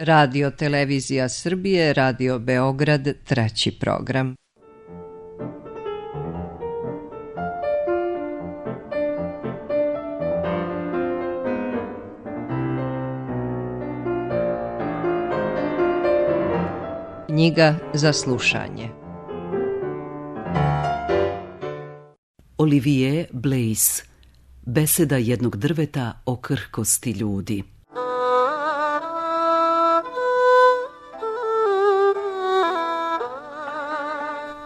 Radio Televizija Srbije, Radio Beograd, treći program. Knjiga za slušanje. Olivier Blaise. Beseda jednog drveta o krhkosti ljudi.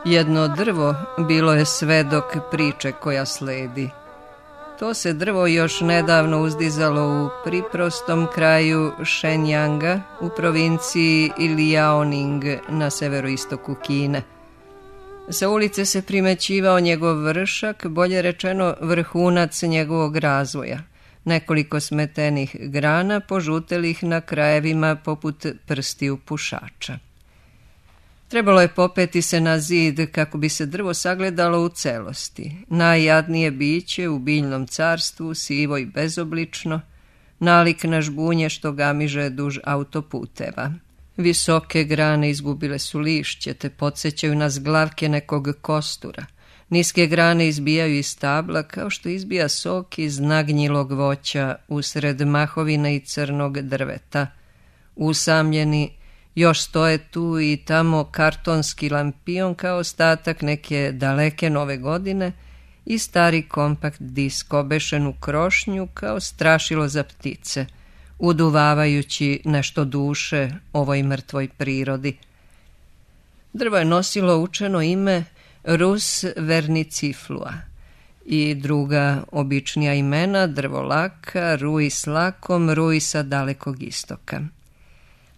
Jedno drvo bilo je svedok priče koja sledi. To se drvo još nedavno uzdizalo u priprostom kraju Shenyanga u provinciji Liaoning na severoistoku Kine. Sa ulice se primećivao njegov vršak, bolje rečeno vrhunac njegovog razvoja. Nekoliko smetenih grana požutelih na krajevima poput prstiju pušača. Trebalo je popeti se na zid kako bi se drvo sagledalo u celosti. Najjadnije biće u biljnom carstvu, sivo i bezoblično, nalik na žbunje što gamiže duž autoputeva. Visoke grane izgubile su lišće te podsjećaju na zglavke nekog kostura. Niske grane izbijaju iz stabla kao što izbija sok iz nagnjilog voća usred mahovina i crnog drveta. Usamljeni još stoje tu i tamo kartonski lampion kao ostatak neke daleke nove godine i stari kompakt disk obešen u krošnju kao strašilo za ptice, uduvavajući nešto duše ovoj mrtvoj prirodi. Drvo je nosilo učeno ime Rus verniciflua i druga običnija imena drvolaka, ruj s lakom, ruj sa dalekog istoka.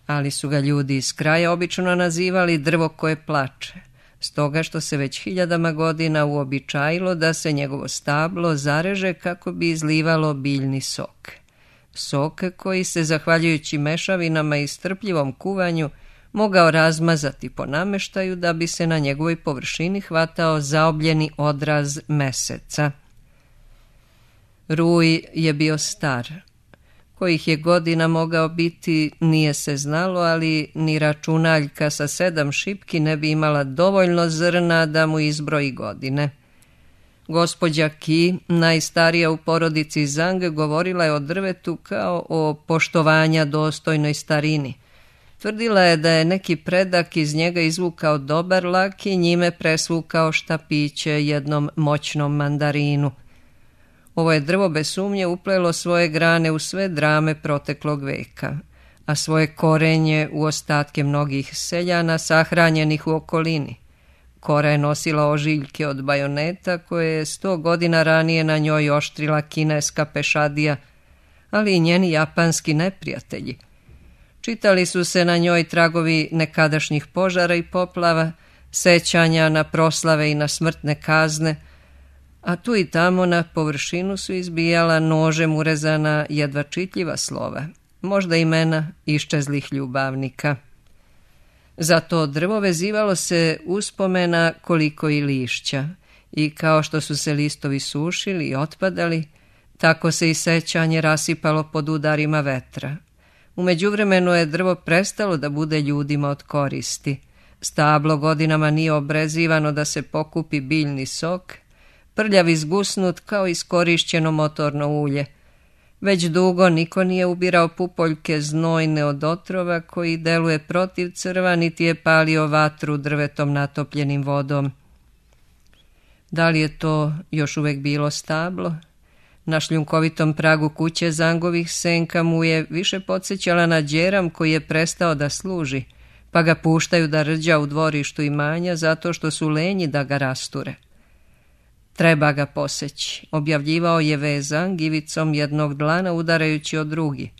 Ali su ga ljudi iz kraja obično nazivali drvo koje plače, stoga što se već hiljadama godina uobičajilo da se njegovo stablo zareže kako bi izlivalo biljni sok. Sok koji se, zahvaljujući mešavinama i strpljivom kuvanju, mogao razmazati po nameštaju da bi se na njegovoj površini hvatao zaobljeni odraz meseca. Ruj je bio star. Kojih je godina mogao biti nije se znalo, ali ni računaljka sa 7 šipki ne bi imala dovoljno zrna da mu izbroji godine. Gospođa Ki, najstarija u porodici Zhang, govorila je o drvetu kao o poštovanja dostojnoj starini. Tvrdila je da je neki predak iz njega izvukao dobar lak i njime presvukao štapiće jednom moćnom mandarinu. Ovo je drvo bez sumnje uplelo svoje grane u sve drame proteklog veka, a svoje korenje u ostatke mnogih seljana sahranjenih u okolini. Kora je nosila ožiljke od bajoneta koje je 100 godina ranije na njoj oštrila kineska pešadija, ali i njeni japanski neprijatelji. Čitali su se na njoj tragovi nekadašnjih požara i poplava, sećanja na proslave i na smrtne kazne, a tu i tamo na površinu su izbijala nožem urezana jedva čitljiva slova, možda imena iščezlih ljubavnika. Zato drvo vezivalo se uspomena koliko i lišća i kao što su se listovi sušili i otpadali, tako se i sećanje rasipalo pod udarima vetra. U međuvremenu je drvo prestalo da bude ljudima od koristi. Stablo godinama nije obrezivano da se pokupi biljni sok, prljav izgusnut kao iskorišćeno motorno ulje. Već dugo niko nije ubirao pupoljke znojne od otrova koji deluje protiv crva, niti je palio vatru drvetom natopljenim vodom. Da li je to još uvek bilo stablo? Na šljunkovitom pragu kuće Zangovih senka mu je više podsjećala na đeram koji je prestao da služi, pa ga puštaju da rđa u dvorištu imanja zato što su lenji da ga rasture. Treba ga poseći, objavljivao je Vezang ivicom jednog dlana udarajući o drugi.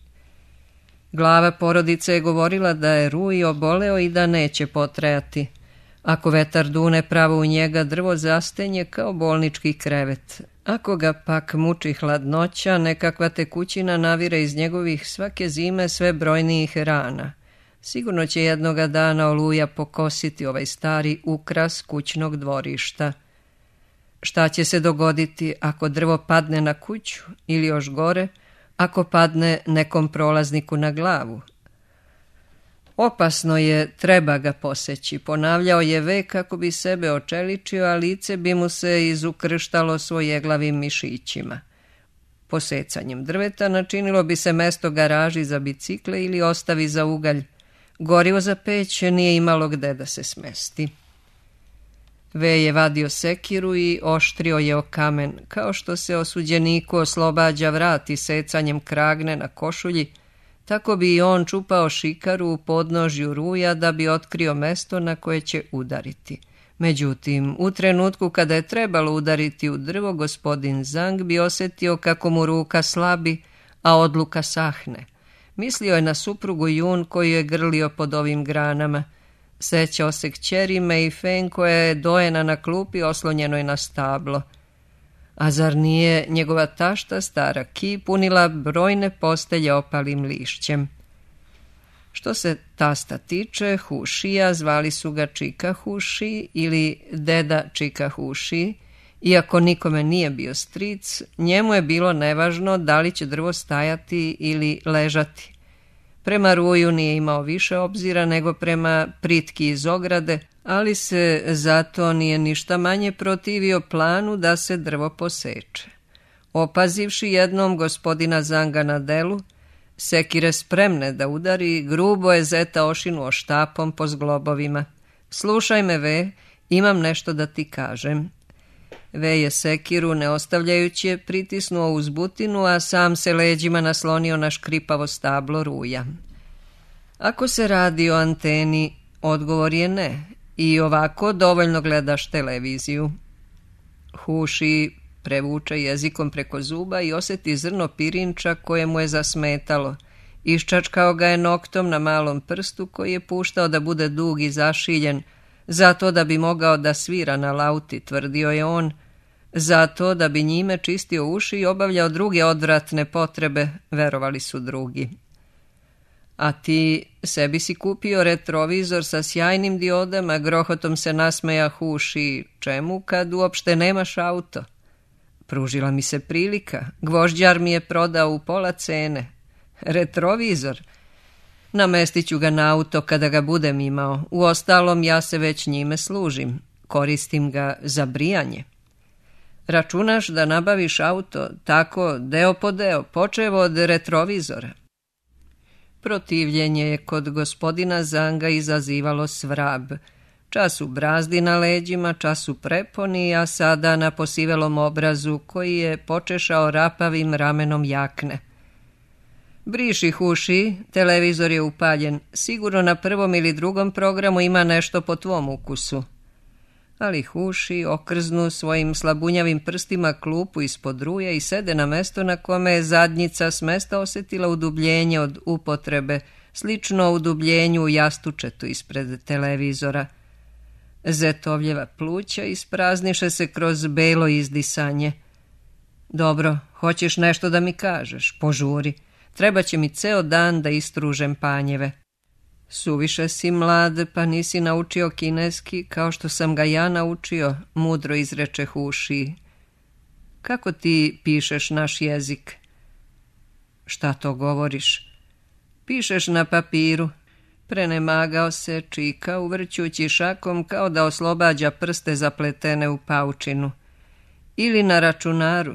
Glava porodice je govorila da je Ruj oboleo i da neće potrajati. Ako vetar dune pravo u njega, drvo zastenje kao bolnički krevet. Ako ga pak muči hladnoća, nekakva tekućina navire iz njegovih svake zime sve brojnijih rana. Sigurno će jednoga dana oluja pokositi ovaj stari ukras kućnog dvorišta. Šta će se dogoditi ako drvo padne na kuću ili još gore, ako padne nekom prolazniku na glavu? Opasno je, treba ga poseći, ponavljao je Ve kako bi sebe očeličio, a lice bi mu se izukrštalo svojeglavim mišićima. Posecanjem drveta načinilo bi se mesto garaži za bicikle ili ostavi za ugalj. Gorivo za peć nije imalo gde da se smesti. Ve je vadio sekiru i oštrio je o kamen, kao što se osuđeniku oslobađa vrat secanjem kragne na košulji, tako bi i on čupao šikaru u podnožju ruja da bi otkrio mesto na koje će udariti. Međutim, u trenutku kada je trebalo udariti u drvo, gospodin Zang bi osjetio kako mu ruka slabi, a odluka sahne. Mislio je na suprugu Jun koju je grlio pod ovim granama. Sećao se kćeri Mei Feng koja je dojena na klupi oslonjenoj na stablo. A zar nije njegova tašta stara Ki punila brojne postelje opalim lišćem? Što se tasta tiče, Hušija, zvali su ga Čika Huši ili deda Čika Huši, iako nikome nije bio stric, njemu je bilo nevažno da li će drvo stajati ili ležati. Prema ruju nije imao više obzira nego prema pritki iz ograde, ali se zato nije ništa manje protivio planu da se drvo poseče. Opazivši jednom gospodina Zanga na delu, sekire spremne da udari, grubo je zeta ošinuo štapom po zglobovima. Slušaj me, Ve, imam nešto da ti kažem. Ve je sekiru, ne ostavljajući je, pritisnuo uz butinu, a sam se leđima naslonio na škripavo stablo ruja. Ako se radi o anteni, odgovor je ne, i ovako dovoljno gledaš televiziju. Huši prevuče jezikom preko zuba i osjeti zrno pirinča koje mu je zasmetalo. Iščačkao ga je noktom na malom prstu koji je puštao da bude dug i zašiljen, zato da bi mogao da svira na lauti, tvrdio je on, zato da bi njime čistio uši i obavljao druge odvratne potrebe, verovali su drugi. A ti sebi si kupio retrovizor sa sjajnim diodama, grohotom se nasmeja Huši, čemu kad uopšte nemaš auto? Pružila mi se prilika, gvožđar mi je prodao u pola cene. Retrovizor? Namestit ću ga na auto kada ga budem imao, uostalom ja se već njime služim, koristim ga za brijanje. Računaš da nabaviš auto tako deo po deo, počevo od retrovizora? Protivljenje je kod gospodina Zanga izazivalo svrab. Čas u brazdi na leđima, čas u preponi, a sada na posivelom obrazu koji je počešao rapavim ramenom jakne. Briši, Huši, televizor je upaljen, sigurno na prvom ili drugom programu ima nešto po tvom ukusu. Ali Huši okrznu svojim slabunjavim prstima klupu ispod ruje i sede na mesto na kome je zadnjica s mesta osjetila udubljenje od upotrebe, slično udubljenju u jastučetu ispred televizora. Zetovljeva pluća isprazniše se kroz belo izdisanje. Dobro, hoćeš nešto da mi kažeš, požuri. Treba će mi ceo dan da istružem panjeve. Suviše si mlad, pa nisi naučio kineski kao što sam ga ja naučio, mudro izreče Huši. Kako ti pišeš naš jezik? Šta to govoriš? Pišeš na papiru. Prenemagao se Čika, uvrćući šakom kao da oslobađa prste zapletene u paučinu. Ili na računaru,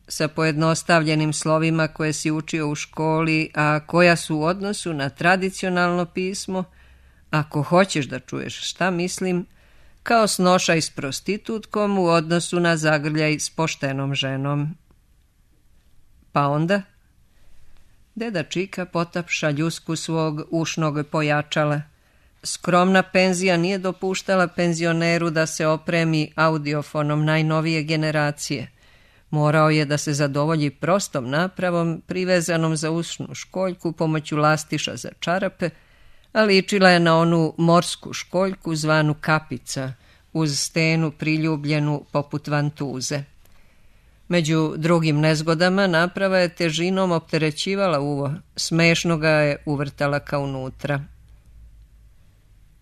sa pojednostavljenim slovima koje si učio u školi, a koja su u odnosu na tradicionalno pismo, ako hoćeš da čuješ šta mislim, kao snošaj s prostitutkom u odnosu na zagrljaj s poštenom ženom. Pa onda? Deda Čika potapša ljusku svog ušnog pojačala. Skromna penzija nije dopuštala penzioneru da se opremi audiofonom najnovije generacije. Morao je da se zadovolji prostom napravom, privezanom za ušnu školjku pomoću lastiša za čarape, a ličila je na onu morsku školjku zvanu kapica, uz stenu priljubljenu poput vantuze. Među drugim nezgodama naprava je težinom opterećivala uvo, smešno ga je uvrtala ka unutra.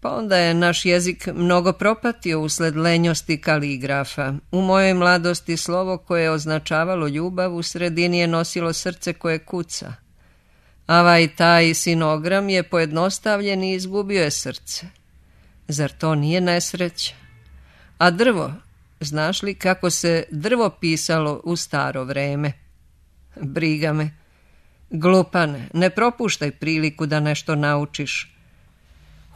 Pa onda je naš jezik mnogo propatio usled lenjosti kaligrafa. U mojoj mladosti slovo koje je označavalo ljubav u sredini je nosilo srce koje kuca. Taj sinogram je pojednostavljen i izgubio je srce. Zar to nije nesreća? A drvo, znaš li kako se drvo pisalo u staro vreme? Briga me. Glupane, ne propuštaj priliku da nešto naučiš.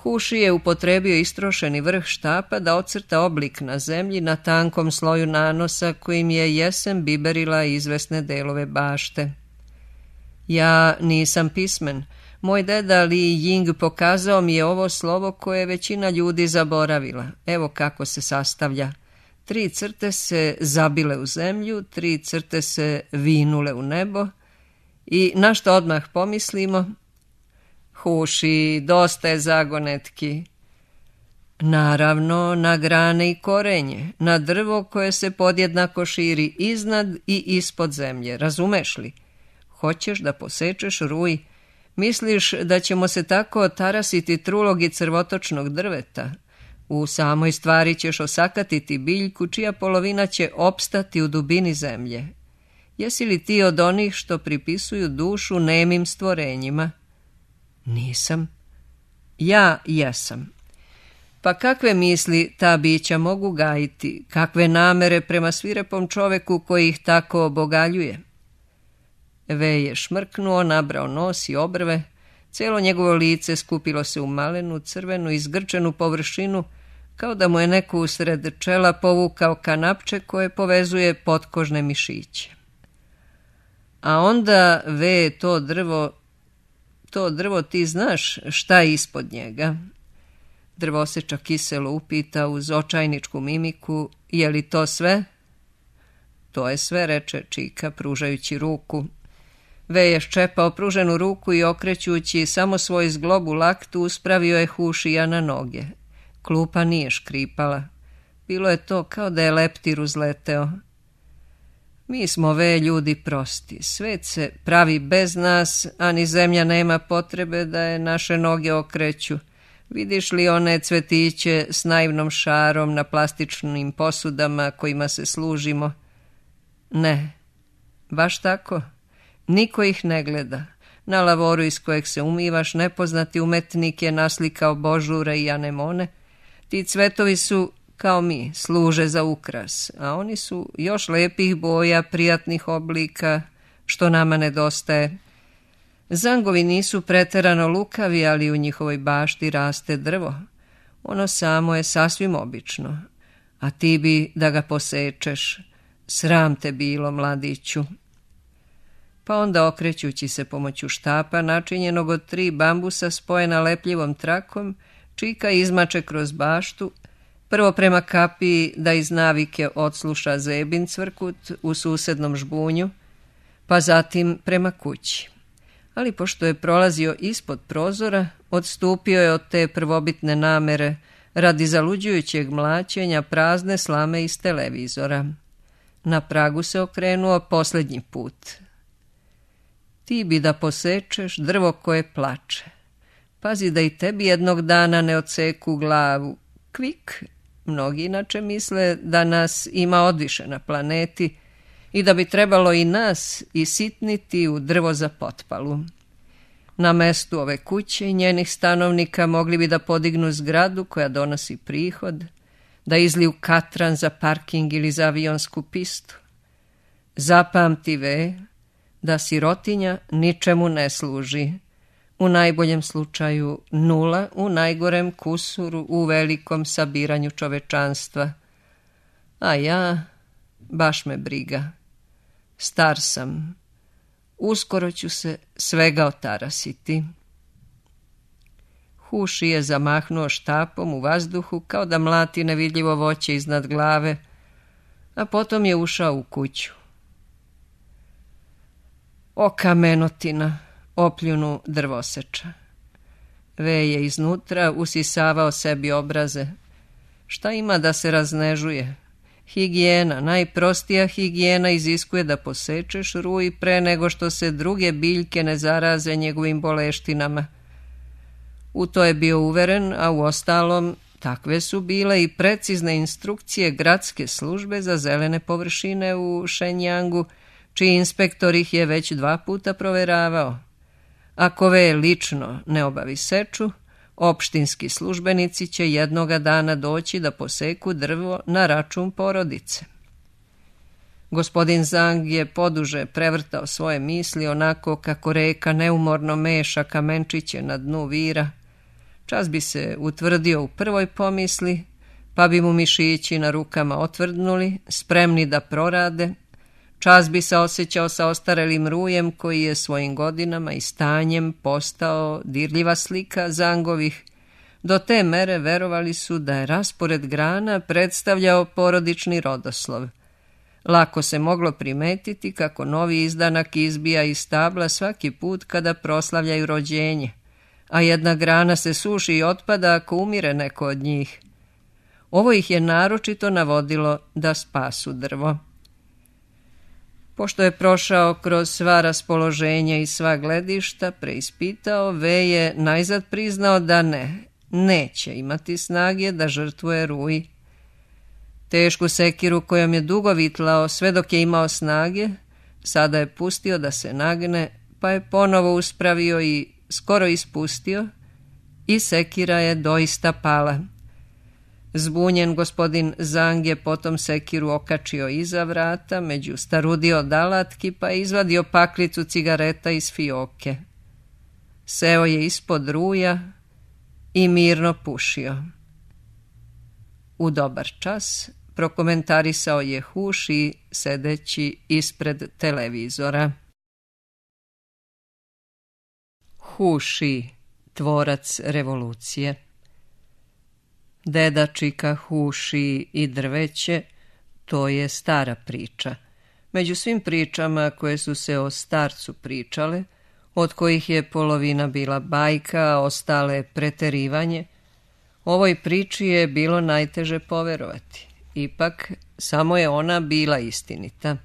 Huši je upotrebio istrošeni vrh štapa da ocrta oblik na zemlji na tankom sloju nanosa kojim je jesen biberila izvesne delove bašte. Ja nisam pismen. Moj deda Li Ying pokazao mi je ovo slovo koje je većina ljudi zaboravila. Evo kako se sastavlja. 3 crte se zabile u zemlju, 3 crte se vinule u nebo i na što odmah pomislimo? Huši, dosta je zagonetki. Naravno, na grane i korenje, na drvo koje se podjednako širi iznad i ispod zemlje, razumeš li? Hoćeš da posečeš ruj? Misliš da ćemo se tako tarasiti trulog i crvotočnog drveta? U samoj stvari ćeš osakatiti biljku čija polovina će opstati u dubini zemlje. Jesi li ti od onih što pripisuju dušu nemim stvorenjima? Nisam. Ja jesam. Pa kakve misli ta bića mogu gajiti, kakve namere prema svirepom čoveku koji ih tako obogaljuje? Ve je šmrknuo, nabrao nos i obrve, cijelo njegovo lice skupilo se u malenu, crvenu i zgrčenu površinu, kao da mu je neko usred čela povukao kanapče koje povezuje potkožne mišiće. A onda, Ve, to drvo ti znaš šta je ispod njega? Drvoseča kiselo upita uz očajničku mimiku, je li to sve? To je sve, reče Čika, pružajući ruku. Ve je ščepao pruženu ruku i okrećući samo svoj zglobu laktu uspravio je Hušija na noge. Klupa nije škripala. Bilo je to kao da je leptir uzleteo. Mi smo, Ve, ljudi prosti. Svet se pravi bez nas, a ni zemlja nema potrebe da je naše noge okreću. Vidiš li one cvetiće s naivnom šarom na plastičnim posudama kojima se služimo? Ne, baš tako. Niko ih ne gleda. Na lavoru iz kojeg se umivaš nepoznati umetnik je naslikao božure i anemone. Ti cvetovi su, kao mi, služe za ukras, a oni su još lepih boja, prijatnih oblika, što nama nedostaje. Zangovi nisu preterano lukavi, ali u njihovoj bašti raste drvo. Ono samo je sasvim obično, a ti bi da ga posečeš. Sram te bilo, mladiću. Pa onda, okrećući se pomoću štapa, načinjenog od 3 bambusa spojena lepljivom trakom, Čika izmače kroz baštu, prvo prema kapiji da iz navike odsluša zebin cvrkut u susednom žbunju, pa zatim prema kući. Ali pošto je prolazio ispod prozora, odstupio je od te prvobitne namere radi zaluđujućeg mlaćenja prazne slame iz televizora. Na pragu se okrenuo posljednji put. Ti bi da posečeš drvo koje plače. Pazi da i tebi jednog dana ne odseku glavu. Kvik, mnogi inače misle da nas ima odviše na planeti i da bi trebalo i nas isitniti u drvo za potpalu. Na mestu ove kuće i njenih stanovnika mogli bi da podignu zgradu koja donosi prihod, da izliju katran za parking ili za avionsku pistu. Zapamti, Ve, da sirotinja ničemu ne služi. U najboljem slučaju 0, u najgorem kusuru, u velikom sabiranju čovečanstva. A ja, baš me briga. Star sam. Uskoro ću se svega otarasiti. Huši je zamahnuo štapom u vazduhu kao da mlati nevidljivo voće iznad glave, a potom je ušao u kuću. O kamenotina, opljunu drvoseča. Ve je iznutra usisavao sebi obraze. Šta ima da se raznežuje? Higijena, najprostija higijena iziskuje da posečeš ruj pre nego što se druge biljke ne zaraze njegovim boleštinama. U to je bio uveren, a u ostalom takve su bile i precizne instrukcije gradske službe za zelene površine u Šenjangu, čiji inspektor ih je već 2 puta proveravao. Ako V lično ne obavi seču, opštinski službenici će jednoga dana doći da poseku drvo na račun porodice. Gospodin Zang je poduže prevrtao svoje misli onako kako reka neumorno meša kamenčiće na dnu vira. Čas bi se utvrdio u prvoj pomisli, pa bi mu mišići na rukama otvrdnuli, spremni da prorade. Čas bi se osjećao sa ostarelim rujem koji je svojim godinama i stanjem postao dirljiva slika Zangovih. Do te mere verovali su da je raspored grana predstavljao porodični rodoslov. Lako se moglo primetiti kako novi izdanak izbija iz stabla svaki put kada proslavljaju rođenje, a jedna grana se suši i otpada ako umire neko od njih. Ovo ih je naročito navodilo da spasu drvo. Pošto je prošao kroz sva raspoloženja i sva gledišta, preispitao, V je najzad priznao da neće imati snage da žrtvuje ruj. Tešku sekiru kojom je dugo vitlao sve dok je imao snage, sada je pustio da se nagne, pa je ponovo uspravio i skoro ispustio i sekira je doista pala. Zbunjen gospodin Zang je potom sekiru okačio iza vrata, među starudio od alatki, pa je izvadio paklicu cigareta iz fioke. Seo je ispod ruja i mirno pušio. U dobar čas prokomentarisao je Huši sedeći ispred televizora. Huši, tvorac revolucije. Deda Čika, Huši i drveće, to je stara priča. Među svim pričama koje su se o starcu pričale, od kojih je polovina bila bajka, a ostale preterivanje, ovoj priči je bilo najteže poverovati. Ipak, samo je ona bila istinita.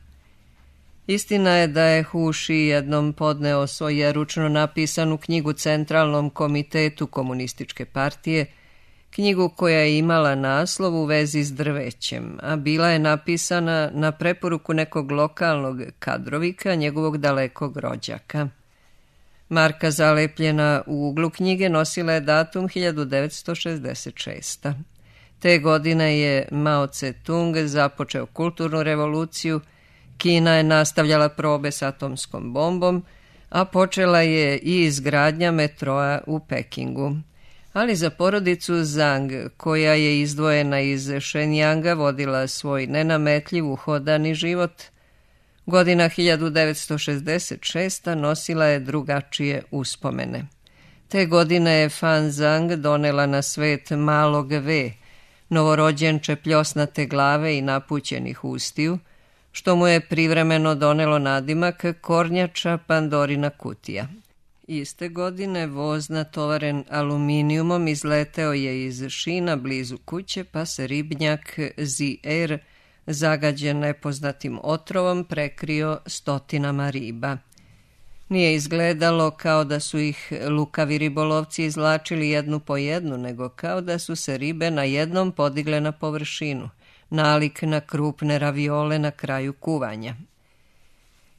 Istina je da je Huši jednom podneo svoju ručno napisanu knjigu Centralnom komitetu komunističke partije, knjigu koja je imala naslov u vezi s drvećem, a bila je napisana na preporuku nekog lokalnog kadrovika, njegovog dalekog rođaka. Marka zalepljena u uglu knjige nosila je datum 1966. Te godine je Mao Tse-tung započeo kulturnu revoluciju, Kina je nastavljala probe s atomskom bombom, a počela je i izgradnja metroa u Pekingu. Ali za porodicu Zang, koja je izdvojena iz Shenyanga, vodila svoj nenametljiv uhodani život, godina 1966. nosila je drugačije uspomene. Te godine je Fan Zang donela na svet malog V, novorođenče pljosnate glave i napućenih ustiju, što mu je privremeno donelo nadimak kornjača Pandorina kutija. Iste godine voz natovaren aluminijumom izleteo je iz šina blizu kuće, pa se ribnjak Zi-Er, zagađen nepoznatim otrovom, prekrio stotinama riba. Nije izgledalo kao da su ih lukavi ribolovci izvlačili jednu po jednu, nego kao da su se ribe na jednom podigle na površinu, nalik na krupne raviole na kraju kuvanja.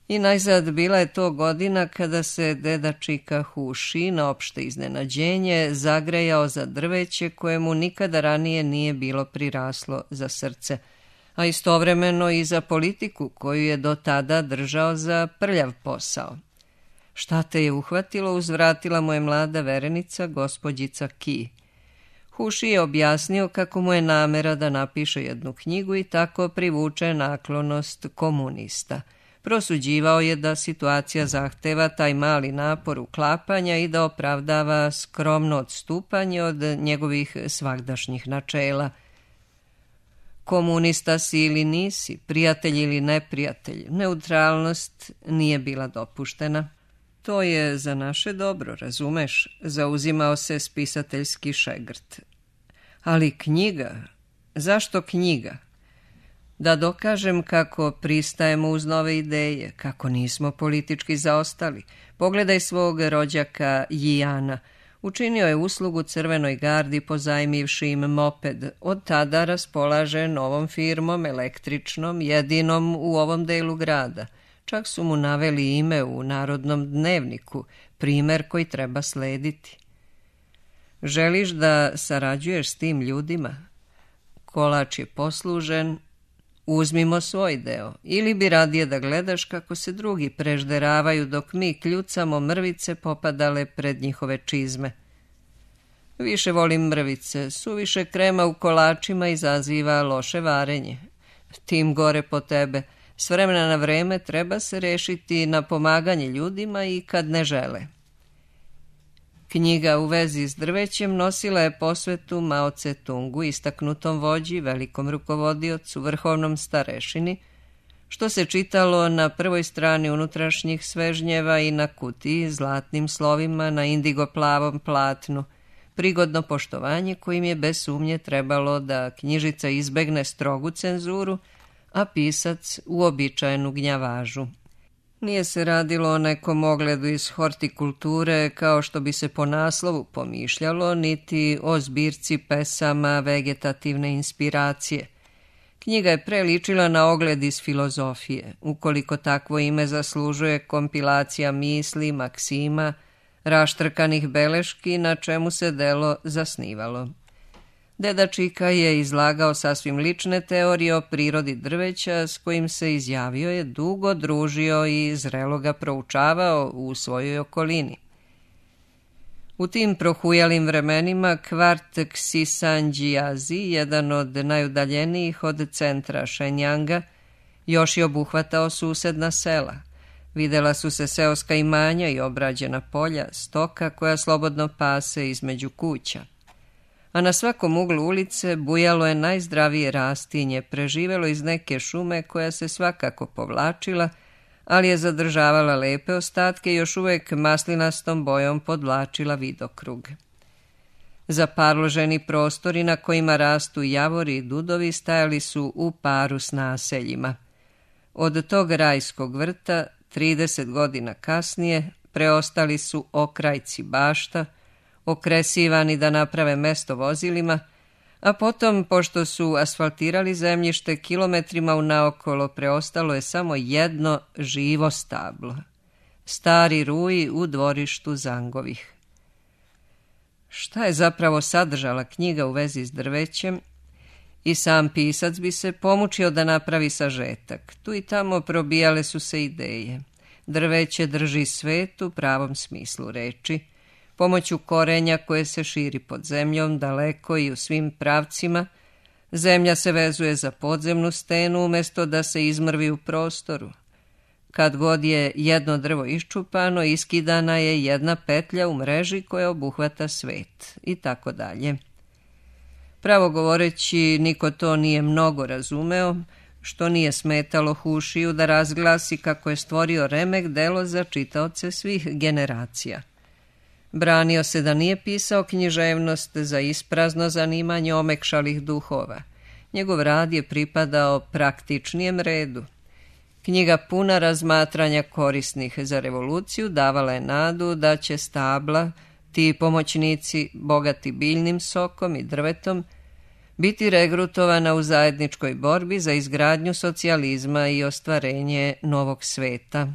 I najzad bila je to godina kada se deda Čika Huši na opšte iznenađenje zagrejao za drveće koje mu nikada ranije nije bilo priraslo za srce, a istovremeno i za politiku koju je do tada držao za prljav posao. Šta te je uhvatilo, uzvratila mu je mlada verenica, gospođica Ki. Huši je objasnio kako mu je namera da napiše jednu knjigu i tako privuče naklonost komunista. Prosuđivao je da situacija zahteva taj mali napor uklapanja i da opravdava skromno odstupanje od njegovih svagdašnjih načela. Komunista si ili nisi, prijatelj ili neprijatelj, neutralnost nije bila dopuštena. To je za naše dobro, razumeš, zauzimao se spisateljski šegrt. Ali knjiga, zašto knjiga? Da dokažem kako pristajemo uz nove ideje, kako nismo politički zaostali. Pogledaj svog rođaka Jijana. Učinio je uslugu Crvenoj gardi pozajmivši im moped. Od tada raspolaže novom firmom, električnom, jedinom u ovom delu grada. Čak su mu naveli ime u Narodnom dnevniku, primer koji treba slediti. Želiš da sarađuješ s tim ljudima? Kolač je poslužen, uzmimo svoj deo, ili bi radije da gledaš kako se drugi prežderavaju dok mi kljucamo mrvice popadale pred njihove čizme. Više volim mrvice, suviše krema u kolačima izaziva loše varenje. Tim gore po tebe, s vremena na vreme treba se rešiti na pomaganje ljudima i kad ne žele. Knjiga u vezi s drvećem nosila je posvetu Mao Tse-tungu, istaknutom vođi, velikom rukovodiocu, vrhovnom starešini, što se čitalo na prvoj strani unutrašnjih svežnjeva i na kutiji zlatnim slovima na indigo-plavom platnu, prigodno poštovanje kojim je bez sumnje trebalo da knjižica izbegne strogu cenzuru, a pisac uobičajenu gnjavažu. Nije se radilo o nekom ogledu iz hortikulture kao što bi se po naslovu pomišljalo, niti o zbirci pesama vegetativne inspiracije. Knjiga je preličila na ogled iz filozofije, ukoliko takvo ime zaslužuje kompilacija misli, maksima, raštrkanih beleški na čemu se delo zasnivalo. Deda Čika je izlagao sasvim lične teorije o prirodi drveća s kojim se izjavio je dugo družio i zrelo ga proučavao u svojoj okolini. U tim prohujalim vremenima kvart Ksisanđijazi, jedan od najudaljenijih od centra Šenjanga, još je obuhvatao susedna sela. Videla su se seoska imanja i obrađena polja, stoka koja slobodno pase između kuća. A na svakom uglu ulice bujalo je najzdravije rastinje, preživelo iz neke šume koja se svakako povlačila, ali je zadržavala lepe ostatke i još uvek maslinastom bojom podvlačila vidokrug. Zaparloženi prostori na kojima rastu javori i dudovi stajali su u paru s naseljima. Od tog rajskog vrta, 30 godina kasnije, preostali su okrajci bašta, okresivani da naprave mesto vozilima, a potom, pošto su asfaltirali zemljište kilometrima unaokolo, preostalo je samo jedno živo stablo. Stari ruji u dvorištu Zangovih. Šta je zapravo sadržala knjiga u vezi s drvećem? I sam pisac bi se pomučio da napravi sažetak. Tu i tamo probijale su se ideje. Drveće drži svet u pravom smislu reči, pomoću korenja koje se širi pod zemljom daleko i u svim pravcima. Zemlja se vezuje za podzemnu stenu umjesto da se izmrvi u prostoru. Kad god je jedno drvo iščupano, iskidana je jedna petlja u mreži koja obuhvata svet i tako dalje. Pravo govoreći, niko to nije mnogo razumeo, što nije smetalo Hušiju da razglasi kako je stvorio remek delo za čitaoce svih generacija. Branio se da nije pisao književnost za isprazno zanimanje omekšalih duhova. Njegov rad je pripadao praktičnijem redu. Knjiga puna razmatranja korisnih za revoluciju davala je nadu da će stabla, ti pomoćnici bogati biljnim sokom i drvetom, biti regrutovana u zajedničkoj borbi za izgradnju socijalizma i ostvarenje novog sveta.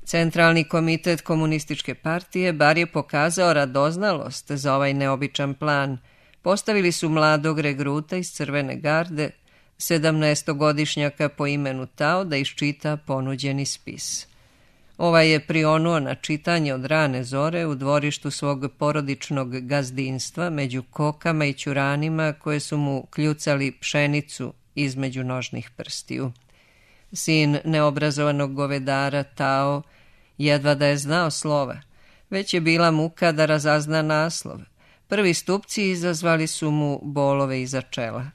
Centralni komitet komunističke partije bar je pokazao radoznalost za ovaj neobičan plan. Postavili su mladog regruta iz Crvene garde, 17-godišnjaka po imenu Tao, da iščita ponuđeni spis. Ovaj je prionuo na čitanje od rane zore u dvorištu svog porodičnog gazdinstva među kokama i ćuranima koje su mu kljucali pšenicu između nožnih prstiju. Sin neobrazovanog govedara Tao jedva da je znao slova, već je bila muka da razazna naslov. Prvi stupci izazvali su mu bolove iza čela.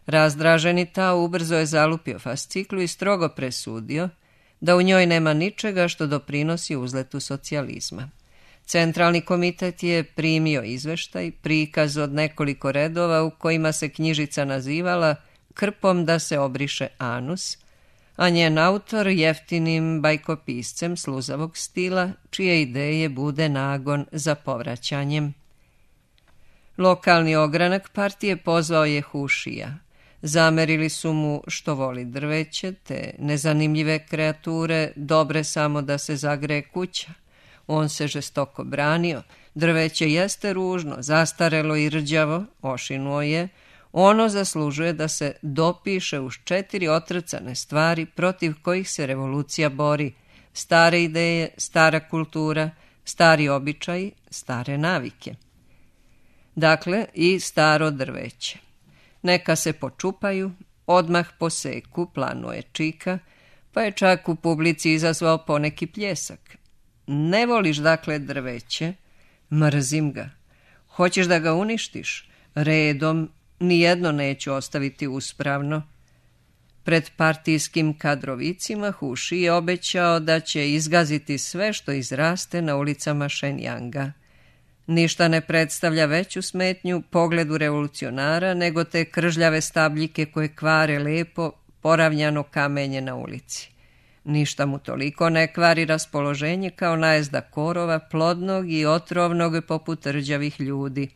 Razdraženi Tao ubrzo je zalupio fasciklu i strogo presudio da u njoj nema ničega što doprinosi uzletu socijalizma. Centralni komitet je primio izveštaj, prikaz od nekoliko redova u kojima se knjižica nazivala Krpom da se obriše anus, a njen autor jeftinim bajkopiscem sluzavog stila, čije ideje bude nagon za povraćanjem. Lokalni ogranak partije pozvao je Hušija. Zamerili su mu što voli drveće, te nezanimljive kreature, dobre samo da se zagreje kuća. On se žestoko branio, drveće jeste ružno, zastarelo i rđavo, ošinuo je, ono zaslužuje da se dopiše uz 4 otrcane stvari protiv kojih se revolucija bori: stare ideje, stara kultura, stari običaji, stare navike. Dakle, i staro drveće. Neka se počupaju, odmah poseku, planuje Čika, pa je čak u publici izazvao poneki pljesak. Ne voliš dakle drveće? Mrzim ga. Hoćeš da ga uništiš? Redom, nijedno neću ostaviti uspravno. Pred partijskim kadrovicima Huši je obećao da će izgaziti sve što izraste na ulicama Šenjanga. Ništa ne predstavlja veću smetnju pogledu revolucionara nego te kržljave stabljike koje kvare lepo poravnjano kamenje na ulici. Ništa mu toliko ne kvari raspoloženje kao najezda korova, plodnog i otrovnog poput rđavih ljudi.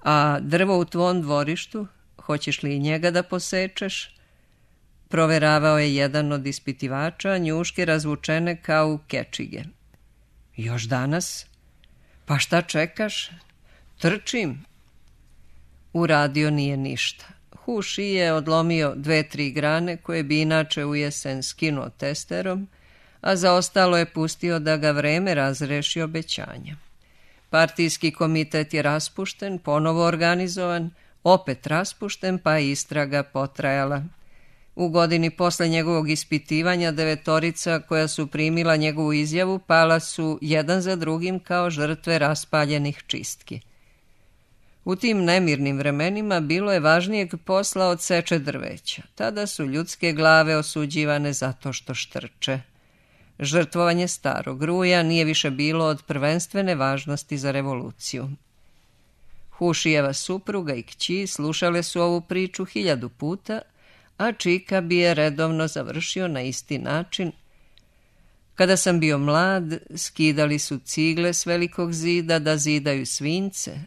A drvo u tvom dvorištu, hoćeš li i njega da posečeš? Proveravao je jedan od ispitivača, njuške razvučene kao u kečige. Još danas? Pa šta čekaš? Trčim. Uradio nije ništa. Huši je odlomio 2-3 grane koje bi inače u jesen skinuo testerom, a za ostalo je pustio da ga vreme razreši obećanja. Partijski komitet je raspušten, ponovo organizovan, opet raspušten, pa je istraga potrajala. U godini posle njegovog ispitivanja 9 koja su primila njegovu izjavu pala su jedan za drugim kao žrtve raspaljenih čistki. U tim nemirnim vremenima bilo je važnijeg posla od seče drveća. Tada su ljudske glave osuđivane zato što štrče. Žrtvovanje starog ruja nije više bilo od prvenstvene važnosti za revoluciju. Hušijeva supruga i kći slušale su ovu priču 1000 puta, a Čika bi je redovno završio na isti način. Kada sam bio mlad, skidali su cigle s velikog zida da zidaju svinjce,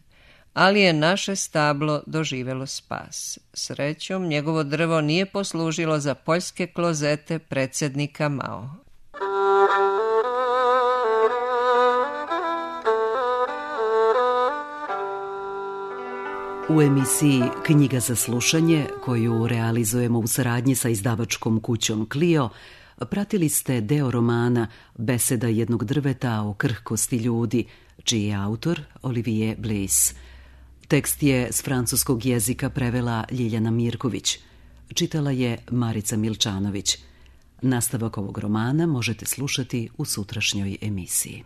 ali je naše stablo doživelo spas. Srećom, njegovo drvo nije poslužilo za poljske klozete predsjednika Mao. U emisiji Knjiga za slušanje, koju realizujemo u saradnji sa izdavačkom kućom Clio, pratili ste deo romana Beseda jednog drveta o krhkosti ljudi, čiji je autor Olivier Bliss. Tekst je s francuskog jezika prevela Ljiljana Mirković. Čitala je Marica Milčanović. Nastavak ovog romana možete slušati u sutrašnjoj emisiji.